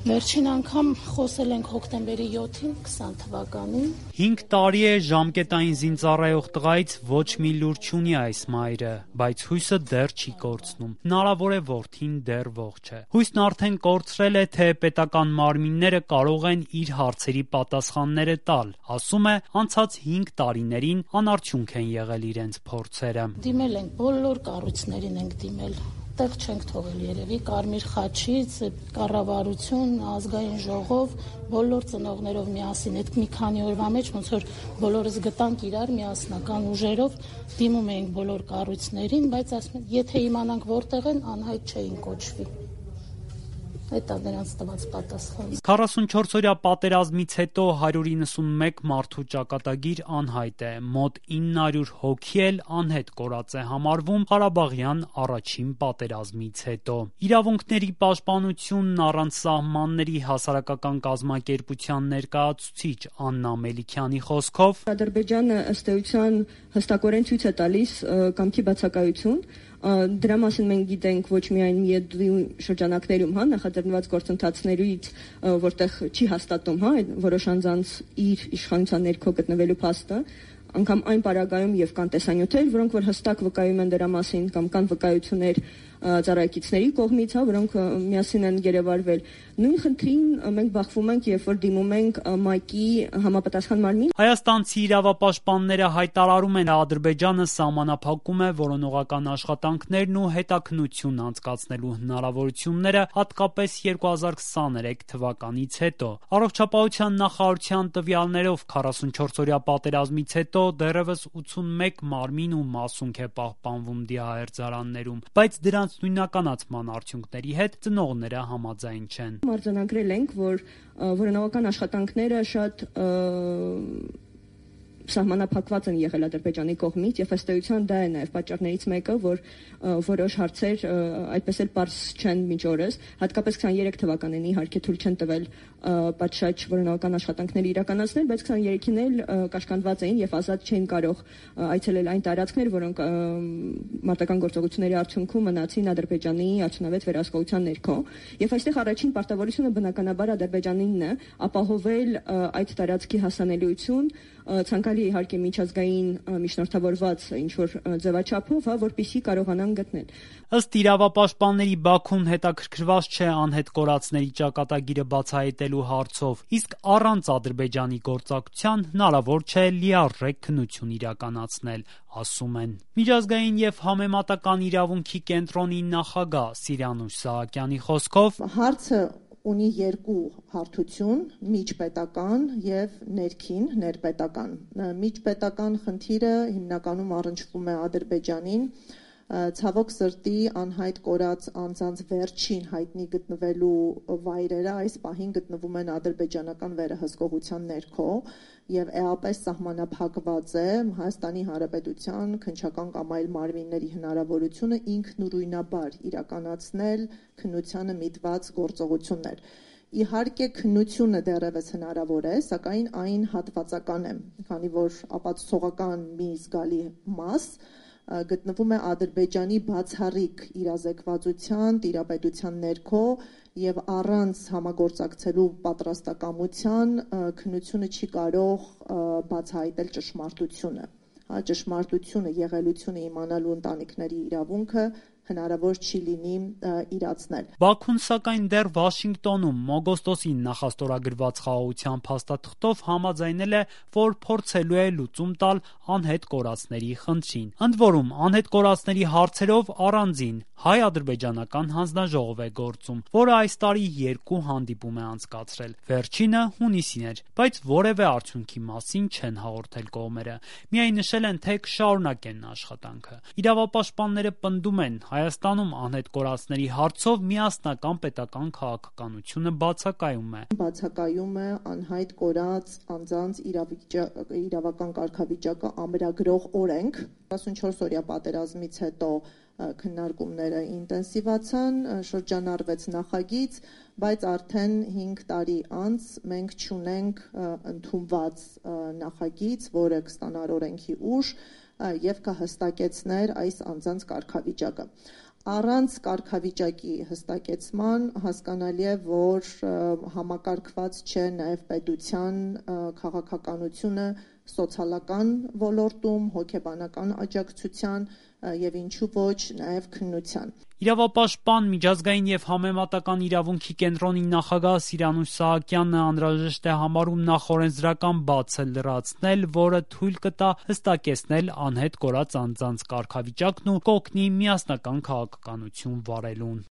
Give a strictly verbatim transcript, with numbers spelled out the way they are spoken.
Վերջին անգամ խոսել ենք հոկտեմբերի յոթին քսան թվականին։ հինգ տարի է ժամկետային զինծառայող տղայից ոչ մի լուր չունի այս մայրը, բայց հույսը դեռ չի կորցնում։ Հնարավոր է որդին դեռ ողջ է։ Հույսն արդեն կորցրել է, թե պետական մարմինները կարող են իր հարցերի պատասխանները տալ։ Ասում է, անցած հինգ տարիներին անարդյունք են եղել իրենց փորձերը։ Դիմել ենք բոլոր կառույցներին ենք դիմել։ Տեղ չենք թողել երևի, Կարմիր խաչից, կառավարություն, ազգային ժողով, բոլոր ծնողներով միասին, այդ մի քանի օրվա մեջ ոնց որ բոլորս գտանք իրար միասնական ուժերով, դիմում էինք բոլոր կառույցներին, բայց ասում են, եթե իմանանք որտեղ են, անհայտ չէին կոչվի։ Այդ է նրանց տված պատասխանը։ քառասունչորս-օրյա պատերազմից հետո հարյուր իննսունմեկ մարդու ճակատագիր անհայտ է, մոտ ինը հարյուր հոգի էլ անհետ կորած է համարվում Ղարաբաղյան առաջին պատերազմից հետո։ Իրավունքների պաշտպանությունն առանց սահմանների հասարակական կազմակերպության ներկայացուցիչ Աննա Մելիքյանի խոսքով Ադրբեջանը ըստ էության հստակորեն ցույց է տալիս կամքի բացակայություն։ Դրա մասին մենք գիտենք ոչ միայն Միեդվի շրջանակներում, հա, նախաձեռնված գործընթացներից, որտեղ չի հաստատում, հա, որոշ անձանց իր իշխանության ներքո գտնվելու փաստը, անգամ այն պարագայում եւ կան տեսանյութեր, որոնք որ հստակ վկայում են դրա մասին կամ կան վկայություններ ծառայեկիցների կողմից, հա, որոնք միասին են երևարվել։ Նույն խնդրին մենք բախվում ենք, երբ որ դիմում ենք ՄԱԿ-ի համապատասխան մարմին։ Հայաստանցի իրավապաշտպանները հայտարարում են, Ադրբեջանը սահմանափակում է որոնողական աշխատանքներն ու հետաքննություն անցկացնելու հնարավորությունները, հատկապես երկու հազար քսաներեք թվականից հետո։ Առողջապահության նախարարության տվյալներով քառասունչորս-օրյա պատերազմից հետո դեռևս ութսունմեկ մարմին ու մասունք է պահպանվում դիահերձարաններում, բայց դրանց նույնականացման արդյունքների հետ ծնողները համաձայն չեն։ Արձանագրել ենք, որ որոնողական աշխատանքները շատ սահմանափակված են եղել Ադրբեջանի կողմից եւ ըստ էության դա է նաեւ պատճառներից մեկը, որ որոշ հարցեր այդպես էլ պարզ չեն մինչ օրս, հատկապես քսաներեք թվականին իհարկե թույլ չեն տվել պատշաճ որոնողական աշխատանքներ իրականացնել, բայց քսաներեքին էլ կաշկանդված էին եւ ազատ չէին կարող այցելել այն տարածքներ, որոնք մարտական գործողությունների արդյունքում մնացին Ադրբեջանի արդյունավետ վերահսկողության ներքո։ Եվ այստեղ առաջին պարտավորությունը բնականաբար Ադրբեջանինն է ապահովել այդ տարածքի հասանելիություն ցանկալի իհարկե միջազգային միջնորդավորված ինչ-որ ձևաչափով, հա, որպեսզի կարողանան գտնել։ Ըստ իրավապաշտպանների Բաքուն հետաքրքրված չէ անհետ կորածների ճակատագիրը բացահայտելու հարցով, իսկ առանց Ադրբեջանի գործակցության հնարավոր չէ լիարժեք քննություն իրականացնել, ասում են։ Միջազգային եւ համեմատական իրավունքի կենտրոնի նախագահ Սիրանուշ Սահակյանի խոսքով հարցը ունի երկու հարթություն՝ միջպետական եւ ներքին ներպետական։ Միջպետական խնդիրը հիմնականում առնչվում է Ադրբեջանին, ցավոք սրտի անհայտ կորած անձանց վերջին հայտնի գտնվելու վայրերը այս պահին գտնվում են ադրբեջանական վերահսկողության ներքո եւ էապես սահմանափակված է Հայաստանի Հանրապետության քննչական կամ այլ մարմինների հնարավորությունը ինքնուրույնաբար իրականացնել քննությանը միտված գործողություններ։ Իհարկե քննությունը դեռևս հնարավոր է, սակայն այն հատվածական է, քանի որ ապացուցողական մի զգալի մաս գտնվում է Ադրբեջանի բացառիկ իրազեկվածության, տիրապետության ներքո եւ առանց համագործակցելու պատրաստակամության քննությունը չի կարող բացահայտել ճշմարտությունը։ Հա, ճշմարտությունը, եղելությունը իմանալու ընտանիքների իրավունքը հնարավոր չի լինի իրացնել։ Բաքուն սակայն դեռ Վաշինգտոնում օգոստոսին նախաստորագրված խաղաղության փաստաթղթով համաձայնել է, որ փորձելու է լուծում տալ անհետ կորածների խնդրին։ Ընդ որում, անհետ կորածների հարցերով առանձին հայ-ադրբեջանական հանձնաժողով է գործում, որը այս տարի երկու հանդիպում է անցկացրել։ Վերջինը հունիսին էր, բայց որևէ արդյունքի մասին չեն հաղորդել կողմերը։ Միայն նշել են, թե կշարունակեն աշխատանքը։ Իրավապաշտպանները պնդում են, Հայաստանում անհետ կորածների հարցով միասնական պետական քաղաքականությունը բացակայում է։ Բացակայում է անհայտ կորած անձանց իրավական կարգավիճակը ամրագրող օրենք։ քառասունչորս-օրյա պատերազմից հետո քննարկումները ինտենսիվացան, շրջանառվեց նախագիծ, բայց արդեն հինգ տարի անց մենք չունենք ընդունված նախագիծ, որը կստանար օրենքի ուժ եւ կհստակեցներ այս անձանց կարգավիճակը։ Առանց կարգավիճակի հստակեցման հասկանալի է, որ համակարգված չէ նաև պետության քաղաքականությունը սոցիալական ոլորտում, հոգեբանական աջակցության եւ ինչու ոչ նաև քննության։ Իրավապաշտպան, միջազգային եւ համեմատական իրավունքի կենտրոնի նախագահ Սիրանուշ Սահակյանը անհրաժեշտ է համարում նախօրենսդրական բացը լրացնել, որը թույլ կտա հստակեցնել անհետ կորած անձանց կարգավիճակն ու կօգնի միասնական քաղաքականություն վարելուն։